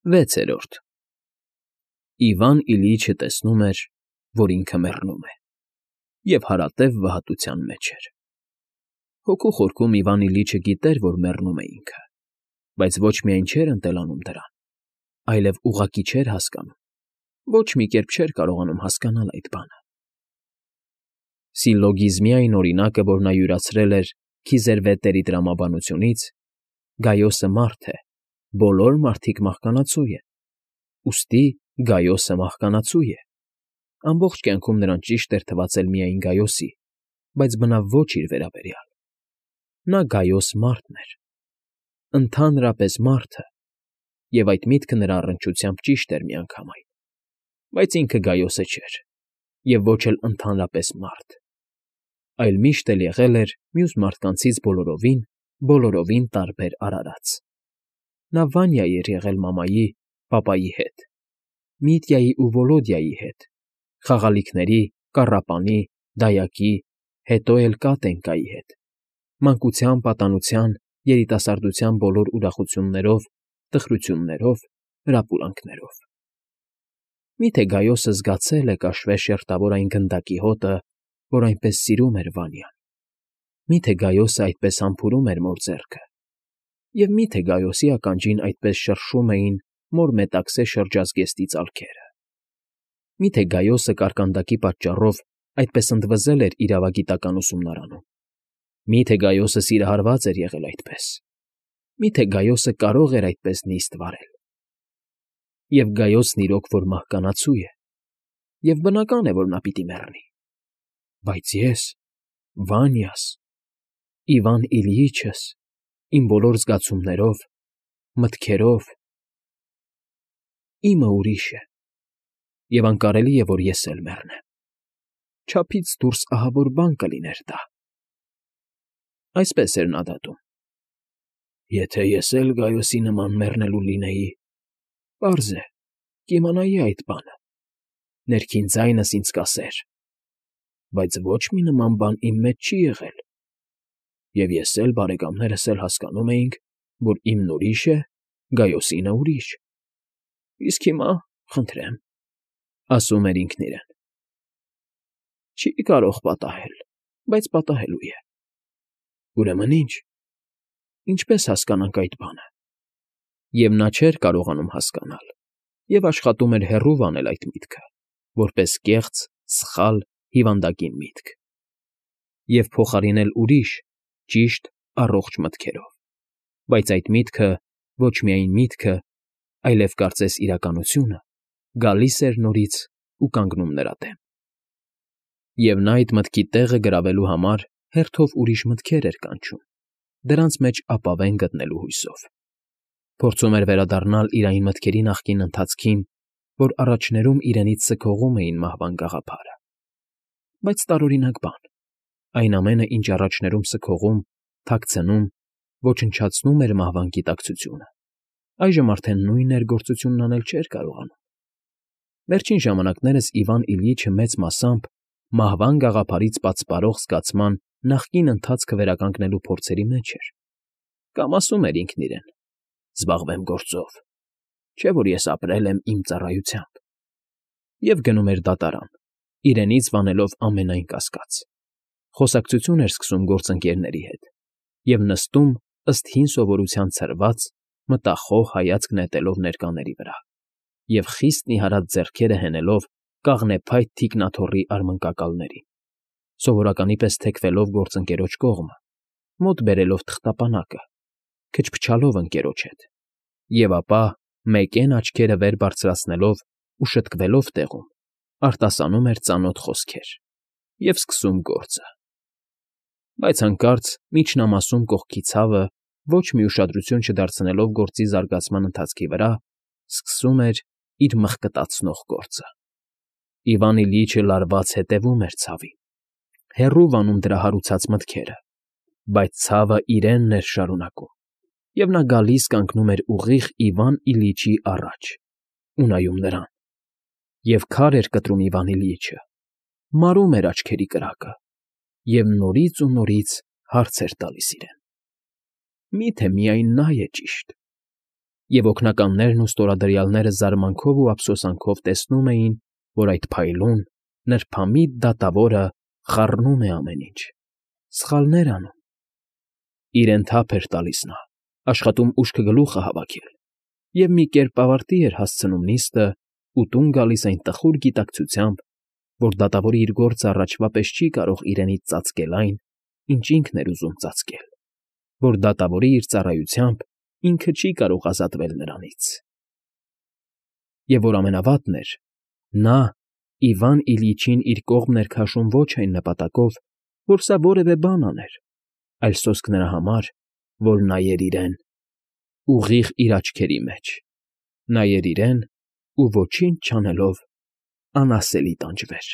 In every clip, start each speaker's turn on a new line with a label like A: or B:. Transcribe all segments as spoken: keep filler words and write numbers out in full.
A: Վեցերորդ Իվան Իլյիչը տեսնում էր, որ ինքը մեռնում է, և հարատև վհատության մեջ էր. հոգու խորքում Իվան Իլյիչը գիտեր, որ մեռնում է ինքը, բայց ոչ միայն չէր ընտելանում դրան, այլև ուղղակի չէր հասկանում, ոչ մի կերպ չէր կարողանում հասկանալ այդ բանը. Սիլլոգիզմի այն օրինակը, որ նա յուրացրել էր Քիզերվետերի տրամաբանությունից, Գայոսը մարդ է, բոլոր մարդիկ մահկանացու են, ուստի Գայոսը մահկանացու է. ամբողջ կյանքում նրան ճիշտ էր թվացել միայն Գայոսի, բայց բնավ ոչ իր վերաբերյալ. նա Գայոս մարդն էր, ընդհանրապես մարդը, և այդ միտքը նրա առնչությամբ ճիշտ էր միանգամայն, բայց ինքը Գայոսը չէր, և ոչ էլ ընդհանրապես մարդ, այլ միշտ էլ եղել էր մյուս մարդկանցից բոլորովին, բոլորովին տարբեր արարած. նա Վանյա էր եղել մամայի, պապայի հետ, Միտյայի ու Վոլոդյայի հետ, խաղալիքների, կառապանի, դայակի, հետո էլ Կատենькայի հետ, մանկության, պատանության, երիտասարդության բոլոր ուրախություններով, տխրություններով, հրապուրանքներով. Մի՞թե Գայոսը զգացել է կաշվե շերտավոր այն գնդակի հոտը, որ այնպես սիրում էր Վանյան, մի՞թե Գայոսը այդպես համբուրում էր մոր ձեռքը, և մի՞թե Գայոսի ականջին այդպես շրշում էին մոր մետաքսե շրջազգեստի ծալքերը, մի՞թե Գայոսը կարկանդակի պատճառով այդպես ընդվզել էր իրավագիտական ուսումնարանում, մի՞թե Գայոսը սիրահարված էր եղել այդպես, մի՞թե Գայոսը կարող էր այդպես նիստ վարել, և Գայոսն իրոք որ մահկանացու է, և բնական է, որ նա պիտի մեռնի, բայց ես, Վանյաս, Իվան Իլյիչս, իմ բոլոր զգացումներով, մտքերով… իմը ուրիշ է, և անկարելի է, որ ես էլ մեռնեմ, չափից դուրս ահավոր բան կլիներ դա… Այսպես էր նա դատում. եթե ես էլ Գայոսի նման մեռնելու լինեի, պարզ է, կիմանայի այդ բանը, ներքին ձայնս ինձ կասեր. բայց ոչ մի նման բան իմ մեջ չի եղել, և ես էլ, բարեկամներս էլ հասկանում էինք, որ իմն ուրիշ է, Գայոսինը ուրիշ… Իսկ հիմա, խնդրեմ, ասում էր ինքն իրեն, չի կարող պատահել, բայց պատահելու է… Ուրեմն ի՞նչ, ինչպե՞ս հասկանանք այդ բանը… Եվ նա չէր կարողանում հասկանալ և աշխատում էր հեռու վանել այդ միտքը, որպես կեղծ, սխալ, հիվանդագին միտք, և փոխարինել ուրիշ, ճիշտ, առողջ մտքերով, բայց այդ միտքը, ոչ միայն միտքը, այլև կարծես իրականությունը, գալիս էր նորից ու կանգնում նրա դեմ… Եվ նա այդ մտքի տեղը գրավելու համար հերթով ուրիշ մտքեր էր կանչում, դրանց մեջ ապավեն գտնելու հույսով, փորձում էր վերադառնալ իր այն մտքերի նախկին ընթացքին, որ առաջներում իրենից սգողում էին մահվան գաղափարը, բայց տարօրինակ բան, այն ամենը, ինչ առաջներում սգողում, թաքցնում, ոչնչացնում էր մահվան գիտակցությունը, այժմ արդեն նույն ներգործությունն անել չէր կարողանում… Վերջին ժամանակներս Իվան Իլյիչը մեծ մասամբ մահվան գաղափարից պատսպարող զգացման նախկին ընթացքը վերականգնելու փորձերի մեջ էր, կամ ասում էր ինքն իրեն. զբաղվեմ գործով, չէ՞ որ ես ապրել եմ իմ ծառայությամբ… Եվ գնում էր դատարան, իրենից վանելով ամենայն կասկած, խոսակցություն էր սկսում գործընկերների հետ և նստում ըստ հին սովորության ցրված, մտախոհ հայացք նետելով ներկաների վրա և խիստ նիհարած ձեռքերը հենելով կաղնեփայտ թիկնաթոռի արմնկակալներին, սովորականի պես թեքվելով գործընկերոջ կողմը, մոտ բերելով թղթապանակը, քչփչալով ընկերոջ հետ, և ապա, մեկեն աչքերը վեր բարձրացնելով ու շտկվելով տեղում, արտասանում էր ծանոթ խոսքեր և սկսում գործը… Բայց հանկարծ միջնամասում կողքի ցավը, ոչ մի ուշադրություն չդարձնելով գործի զարգացման ընթացքի վրա, սկսում էր իր մխկտացնող գործը… Իվան Իլյիչը լարված հետևում էր ցավին, հեռու վանում դրա հարուցած մտքերը, բայց ցավը իրենն էր շարունակում, և նա գալիս կանգնում էր ուղիղ Իվան Իլյիչի առաջ ու նայում նրան, և քար էր կտրում Իվան Իլյիչը, մարում էր աչքերի կրակը և նորից ու նորից հարց էր տալիս իրեն. «Մի՞թե միայն նա է ճիշտ, Եվ օգնականներն ու ստորադրյալները զարմանքով ու ափսոսանքով տեսնում էին, որ այդ փայլուն, նրբամիտ դատավորը խառնում է ամեն ինչ, սխալներ անում։ Իրեն թափ էր տալիս նա, աշխատում ուշքը գլուխը հավաքել, և մի կերպ ավարտի էր հասցնում նիստը ու տուն գալիս այն տխուր գիտակցությամբ, որ դատավորը իր գործը առաջվա պես չի կարող իրենից ծածկել այն, ինչ ինքն էր ուզում ծածկել, որ դատավորը իր ծառայությամբ ինքը չի կարող ազատվել նրանից։ Եվ որ ամենավատն էր, նա Իվան Իլիչին իր կողմն էր քաշում ոչ այն նպատակով, որ սա որևէ բան աներ, այլ սոսկ նրա համար, որ նայեր իրեն, ուղիղ իր աչքերի մեջ, նայեր իրեն ու ոչինչ չանելով անասելի տանջվեր։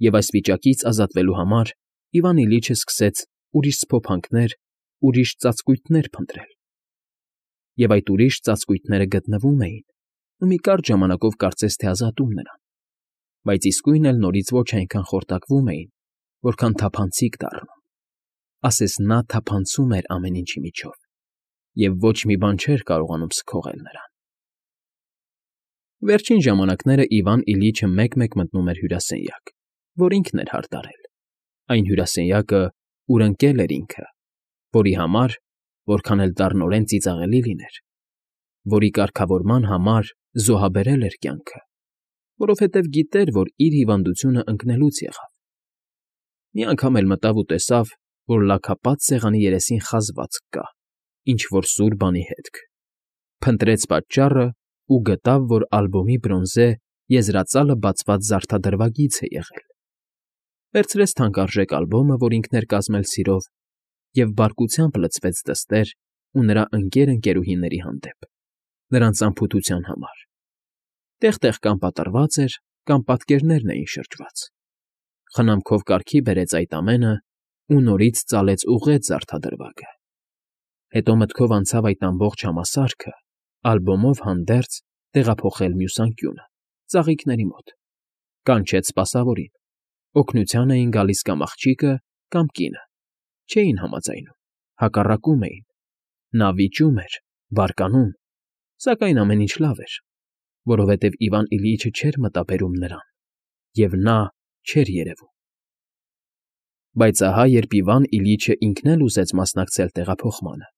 A: Եվ այս վիճակից ազատվելու համար Իվան Իլիչը սկսեց ուրիշ սփոփանքներ, ուրիշ ծածկույթներ փնտրել։ Եվ այդ ուրիշ ծածկույթները գտնվում էին ու մի կարճ ժամանակով կարծես թե ազատում նրան, բայց իսկույն էլ նորից ոչ այնքան խորտակվում էին, որքան թափանցիկ դառնում, ասես նա թափանցում էր ամեն ինչի միջով, և ոչ մի բան չէր կարողանում սքողել նրան։ Վերջին ժամանակները Իվան Իլիչը մեկ֊մեկ մտնում էր հյուրասենյակ, որ ինքն էր հարդարել, այն հյուրասենյակը, ուր ընկել էր ինքը, որի համար, որքան էլ դառնորեն ծիծաղելի լիներ, որի կարգավորման համար զոհաբերել էր կյանքը, որովհետև գիտեր, որ իր հիվանդությունը ընկնելուց եղավ։ Մի անգամ էլ մտավ ու տեսավ, որ լաքապատ սեղանի երեսին խազվածք կա, ինչ֊որ սուր բանի հետք, փնտրեց պատճառը ու գտավ, որ ալբոմի բրոնզե եզրածալը բացված զարդադրվագիծ է եղել։ Վերցրեց թանկարժեք ալբոմը, որ ինքն էր կազմել սիրով, և բարկությամբ լցվեց դստեր ու նրա ընկեր֊ընկերուհիների հանդեպ, նրանց անփութության համար։ Տեղ֊տեղ կամ պատռված էր, կամ պատկերներն էին շրջված։ Խնամքով կարգի բերեց այդ ամենը ու նորից ծալեց ուղղեց զարդադրվագը։ Հետո մտքով անցավ այդ ամբողջ համասարքը, ալբոմով հանդերձ տեղափոխել մյուս անկյունը, ծաղիկների մոտ, կանչեց սպասավորին, օգնության էին գալիս կամ աղջիկը, կամ կինը, չէին համաձայնում, հակառակում էին, նա վիճում էր, բարկանում, սակայն ամեն ինչ լավ էր, որովհետև Իվան Իլիչը չէր մտաբերում նրան, և նա չէր երևում։ Բայց ահա երբ Իվան Իլիչը ինքն էլ ուզեց մասնակցել տեղափոխմանը,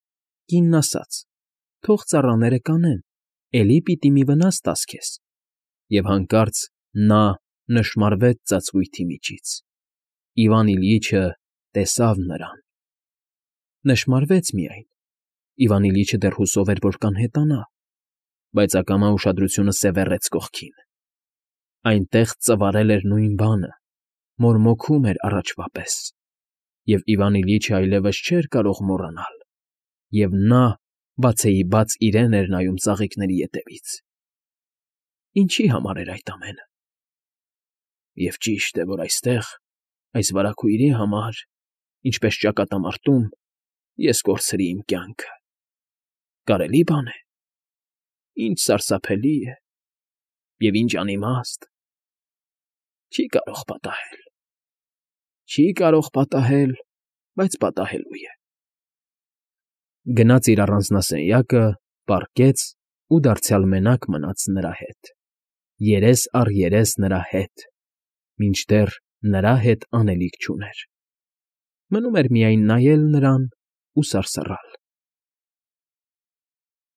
A: կինն ասաց. «Թող ծառաները կանեն, էլի պիտի մի վնաս տաս քեզ», և հանկարծ նա նշմարվեց ծածկույթի միջից։ Իվան Իլիչը տեսավ նրան։ Նշմարվեց միայն, Իվան Իլիչը դեռ հուսով էր, որ կանհետանա, բայց ակամա ուշադրությունը սևեռեց կողքին։ Այնտեղ ծվարել էր նույն բանը, մորմոքում էր առաջվա պես, և Իվան Իլիչը այլևս չէր կարող մոռանալ, և նա բացեիբաց իրեն էր նայում ծաղիկների ետևից։ Ինչի համար էր այդ ամենը։ Եվ ճիշտ է, որ այստեղ, այս վարագույրի համար, ինչպես ճակատամարտում, ես կորցրի իմ կյանքը։ Կարելի՞ բան է։ Ինչ սարսափելի է, և ինչ անիմաստ։ Չի կարող պատահել։ Չի կարող պատահել, բայց պատահելու է։ Գնաց իր առանձնասենյակը, պառկեց ու դարձյալ մենակ մնաց նրա հետ, երես առ երես նրա հետ, մինչդեռ նրա հետ անելիք չուներ։ Մնում էր միայն նայել նրան ու սարսռալ։